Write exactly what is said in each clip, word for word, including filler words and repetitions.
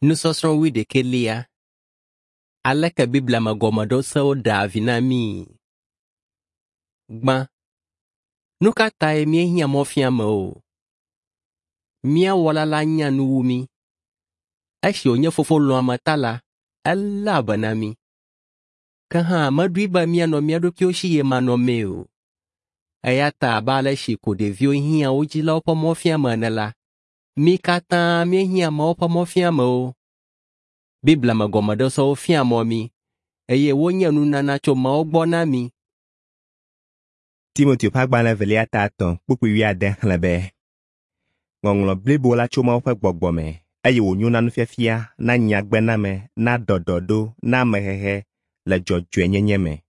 Nusɔsrɔ̃ wuiɖekɛlia. Aleke Biblia me gɔmeɖosewo ɖea vi na míi? Gbã, nu ka tae míehiã mɔfiamewo? Mía Wɔla la nya nu wu mí. Esi wònye Fofo lɔ̃ame ta la, eléa be na mí. Ke hã meɖoe be míanɔ mía ɖokuiwo si ɣemanɔmee o. Eya ta abe ale si ko ɖeviwo hiã wo dzilawo ƒe mɔfiame ene la, mí katã míehiã Mawu ƒe mɔfiamewo. Biblia me gɔmeɖosewo fia mɔ mí eye wonye nunana tso Mawu gbɔ na mí. Timoteo ƒe agbalẽ evelia ta etɔ̃ kpukpui wuiade xlẽ be, Ŋɔŋlɔ blibo la tso Mawu ƒe gbɔgbɔ me eye wònyo na nufiafia, na nyagbename, na ɖɔɖɔɖo, na amehehe le dzɔdzɔenyenye me.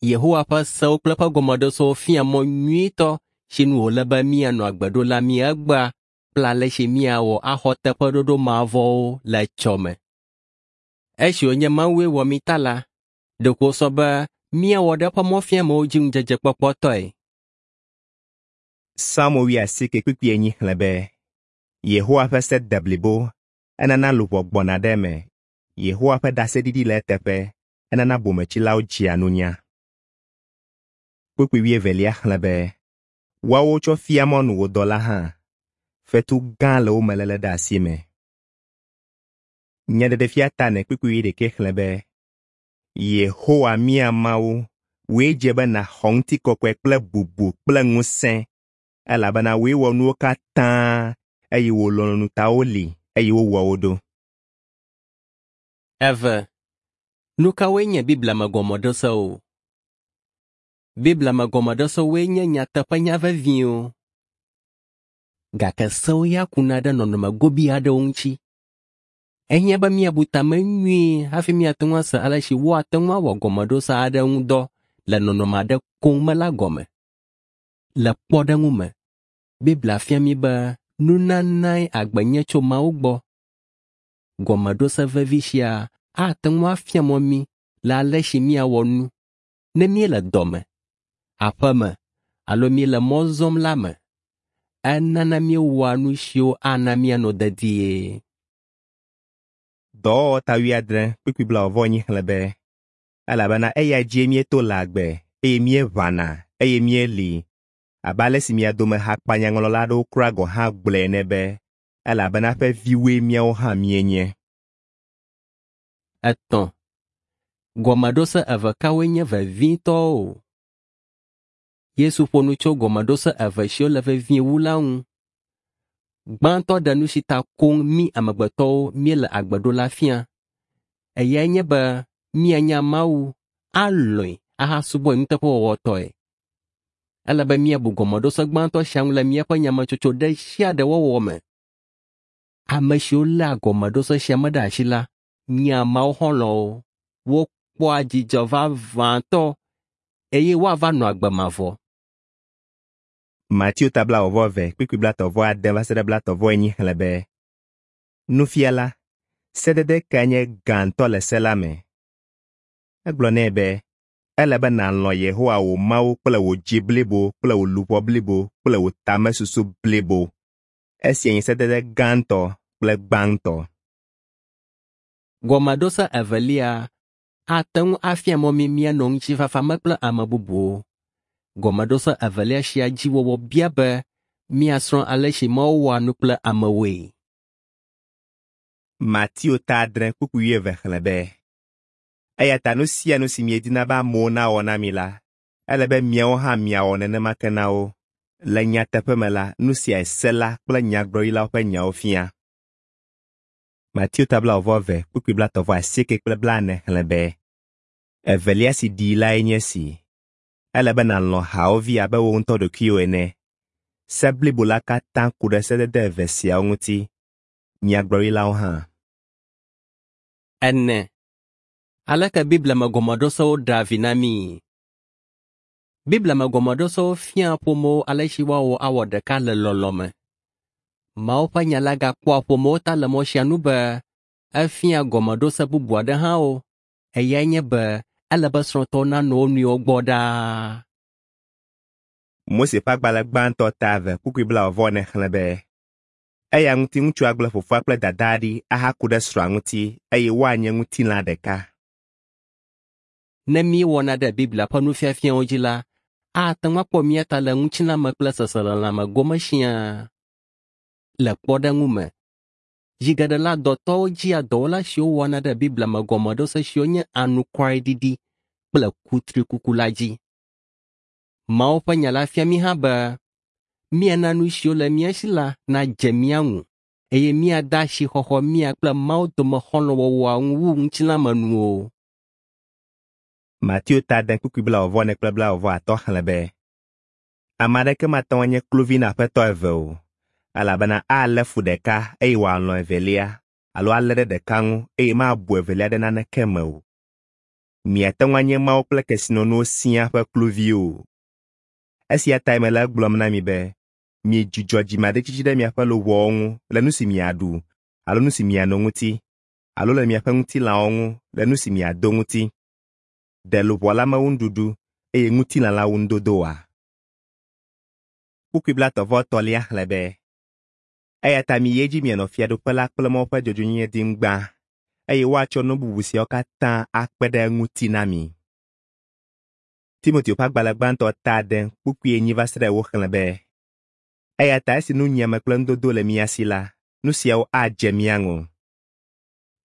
Yehowa ƒe sewo kple eƒe gɔmeɖosewo fia mɔ nyuitɔ si nu wòle be míanɔ agbe ɖo la mí egbea kple ale si míawɔ axɔ teƒeɖoɖo mavɔwo le etsɔme. Esi wònye Mawue wɔ mí ta la, ɖeko wòsɔ be míawɔ ɖe eƒe mɔfiamewo dzi ŋudzedzekpɔkpɔtɔe. Psalmo wuiasieke kpukpui enyi xlẽ be, Yehowa ƒe se de blibo, enana luʋɔ gbɔna ɖe eme. Yehowa ƒe ɖaseɖiɖi le eteƒe, enana bometsilawo dzea nunya. Kpukpui wuievelia xlẽ be, woawo tsɔ fia mɔnu wò dɔla hã, fetu gã le wo me léle ɖe asi me. Nyaɖeɖefia ta ene kpukpui wuiɖekɛ xlẽ be, Yehowa mía Mawu, wòe dze be nàxɔ ŋutikɔkɔe kple bubu kple ŋusẽ, elabena wòe wɔ nuwo katã eye wò lɔlɔ̃nu ta woli eye wowɔ wo ɖo. Eve, nu kawoe nye Biblia me gɔmeɖosewo? Biblia me gɔmeɖosewoe nye nyateƒenya veviwo. Gake sewo ya kuna ɖe nɔnɔme gobi aɖewo ŋuti. Ehiã be míabu tame nyuie hafi míate ŋu ase ale si woate ŋu awɔ gɔmeɖose aɖe ŋu dɔ le nɔnɔme aɖe koŋ me la gɔme. Le kpɔɖeŋu me, Biblia fia mí be nunanae agbe nye tso Mawu gbɔ. Gɔmeɖose vevi sia ate ŋu afia mɔ mí le ale si míawɔ nu ne míele dɔme, aƒeme alo míele mɔ zɔm la me. Enana míewɔa nu siwo ana míanɔ dedie. Dɔwɔwɔ ta wuiadre kpukpui blaeve-vɔ-enyi xlẽ be, elabena eya dzie míeto le agbe eye míeʋãna eye míeli abe ale si mia dome hakpanyaŋlɔla aɖewo kura gɔ̃ hã gblɔe ene be, elabena eƒe viwoe míawo hã míenye. Etɔ̃, gɔmeɖose eve kawoe nye vevitɔwo? Yesu ƒo nu tso gɔmeɖose eve siwo le vevie wu la ŋu. Gbãtɔ ɖe nu si ta koŋ mí amegbetɔwo míele agbe ɖo la fia. Eyae nye be míanya Mawu, alɔ̃e ahasubɔe nuteƒewɔwɔtɔe. Ele be míabu gɔmeɖose gbãtɔ sia ŋu le míaƒe nyametsotso ɖe sia ɖe wɔwɔ me. Ame siwo léa gɔmeɖose sia me ɖe asi la nyea Mawu xɔlɔ̃wo, wokpɔa dzidzɔ vavãtɔ eye woava nɔ agbe mavɔ. Mateo ta blaeve-vɔ-eve kpukpui blaetɔ̃-vɔ-ade va se ɖe blaetɔ̃-vɔ-enyi xlẽ be, Nufiala, sedede kae nye gãtɔ le se la me? Egblɔ nɛ be, ele be nàlɔ̃ Yehowa wò Mawu kple wò dzi blibo kple wò luʋɔ blibo kple wò tamesusu blibo. Esia nye sedede gãtɔ kple gbãtɔ. Gɔmeɖose evelia ate ŋu afia mɔ mí míanɔ ŋutifafa me kple ame bubuwo. Gɔmeɖose evelia sia dzi wɔwɔ bia be míasrɔ̃ ale si Mawu wɔa nu kple amewoe. Mateo ta adre kpukpui wuieve xlẽ be, eya ta nu sia nu si miedina be amewo nawɔ na mi la, ele be miawo hã miawɔ nenema ke na wo. Le nyateƒe me la, nu siae se la kple nyagblɔɖilawo ƒe nyawo fia. Mateo ta blaeve-vɔ-eve kpukpui blaetɔ̃-vɔ-asieke kple blaene xlẽ be, evelia si ɖii lae nye esi, ele be nàlɔ̃ hawòvi abe wò ŋutɔ ɖokuiwò ene. Se blibo la katã ku ɖe sedede eve siawo ŋuti, nyagblɔɖilawo hã. Ene, aleke Biblia me gɔmeɖosewo ɖea vi na míi? Biblia me gɔmeɖosewo fiaa ƒomewo ale si woawɔ awɔ ɖeka le lɔlɔ̃ me. Mawu ƒe nya la gakpɔa ƒomewo ta le mɔ sia nu be efia gɔmeɖose bubu aɖe hã wo. Eyae nye be ele be srɔ̃tɔwo nanɔ wo nɔewo gbɔ ɖaa. Mose ƒe agbalẽ gbãtɔ ta eve kpukpui blaeve-vɔ-ene xlẽ be, Eya ŋuti ŋutsu agblẽ fofoa kple dadaa ɖi ahaku ɖe srɔ̃a ŋuti eye woanye ŋutilã ɖeka. Ne míewɔna ɖe Biblia ƒe nufiafiawo dzi la, ate ŋu akpɔ mía ta le ŋutilãme kple seselelãme gome siaa. Le kpɔɖeŋu me, zi geɖe la dɔtɔwo dzia dɔwɔla siwo wɔna ɖe Biblia me gɔmeɖose siwo nye anukwareɖiɖi kple kutrikuku la dzi. Mawu ƒe nya la fia mí hã be míana nu siwo le mía si la nadze mía ŋu eye míade asixɔxɔ mía kple Mawu dome xɔlɔ̃wɔwɔa ŋu wu ŋutilãmenuwo. Mateo ta ade kpukpui blaeve-vɔ-ene kple blaeve-vɔ-atɔ̃ xlẽ be, Ame aɖeke mate ŋu anye kluvi na aƒetɔ eve o, elabena alé fu ɖeka eye wòalɔ̃ evelia alo alé ɖe ɖeka ŋu eye mabu evelia ɖe naneke me o. Miate ŋu anye Mawu kple kesinɔnuwo siaa ƒe kluviwo o. Esia tae mele egblɔm na mi be miedzudzɔ dzimaɖitsitsi ɖe miaƒe luʋɔwo ŋu le nu si miaɖu alo nu si miano ŋuti alo le miaƒe ŋutilãwo ŋu le nu si miado ŋuti. Ɖe luʋɔ la mewu nuɖuɖu eye ŋutilã la wu nudodo oa? Kpukpui blaetɔ̃-vɔ-etɔ̃lia xlẽ be, Eya ta miyi edzi mianɔ fiaɖuƒe la kple Mawu ƒe dzɔdzɔenyenye dim gbã, eye woatsɔ nu bubu siawo katã akpe ɖe eŋuti na mi. Timoteo ƒe agbalẽ gbãtɔ ta ade kpukpui enyi va se ɖe ewo xlẽ be, Eya ta esi nunyiame kple nudodo le mía si la, nu siawo adze mía ŋu.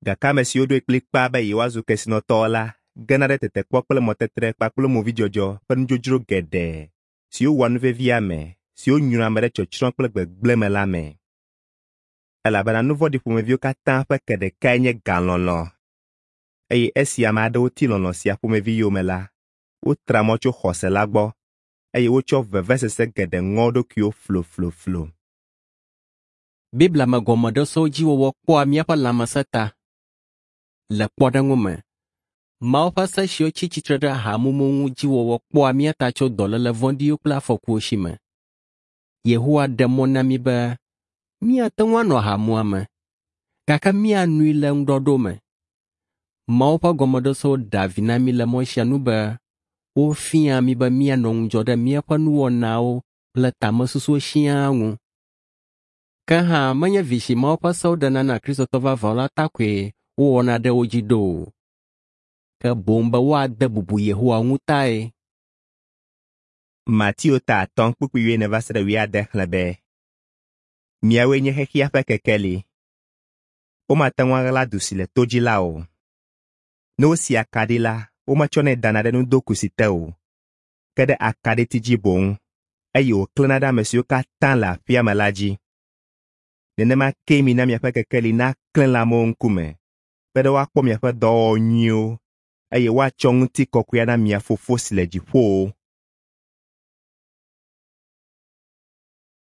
Gake ame siwo ɖoe kplikpaa be yewoazu kesinɔtɔwo la gena ɖe tetekpɔ kple mɔtetre kpakple movidzɔdzɔ ƒe nudzodzro geɖe siwo wɔa nu vevi ame, siwo nyrɔa ame ɖe tsɔtsrɔ̃ kple gbegblẽ me la me. Elabena nu vɔ̃ɖi ƒomeviwo katã ƒe ke ɖekae nye galɔlɔ̃. Eye esi ame aɖewo ti lɔlɔ̃ sia ƒomevi yome la, wotra mɔ tso xɔse la gbɔ eye wotsɔ vevesese geɖe ŋɔ wo ɖokuiwo flofloflo. Biblia me gɔmeɖosewo dzi wɔwɔ kpɔa míaƒe lãmesẽ ta. Le kpɔɖeŋu me, Mawu ƒe se siwo tsi tsitre ɖe ahamumu ŋu dzi wɔwɔ kpɔa mía ta tso dɔléle vɔ̃ɖiwo kple afɔkuwo si me. Yehowa ɖe mɔ na mí be míate ŋu anɔ aha muame, gake míanoe le ŋuɖɔɖo me. Mawu ƒe gɔmeɖosewo ɖea vi na mí le mɔ sia nu be wofiaa mí be míanɔ ŋudzɔ ɖe míaƒe nuwɔnawo kple tamesusuwo siaa ŋu. Ke hã menye vi si Mawu ƒe sewo ɖena na Kristotɔ vavãwo la ta koe wowɔna ɖe wo dzi ɖo o, ke boŋ be woade bubu Yehowa ŋu tae. Mateo ta atɔ̃ kpukpui wuiene va se ɖe wuiade xlẽ be, Miawoe nye xexea ƒe kekeli. Womate ŋu aɣla du si le to dzi la o. Ne wosi akaɖi la, wometsɔnɛ dana ɖe nudokusi te o, ke ɖe akaɖiti dzi boŋ, eye wòklẽna ɖe ame siwo katã le aƒea me la dzi. Nenema kee mina miaƒe kekeli naklẽ le amewo ŋkume, be ɖe woakpɔ miaƒe dɔwɔwɔ nyuiwo eye woatsɔ ŋutikɔkɔe na mia Fofo si le dziƒowo.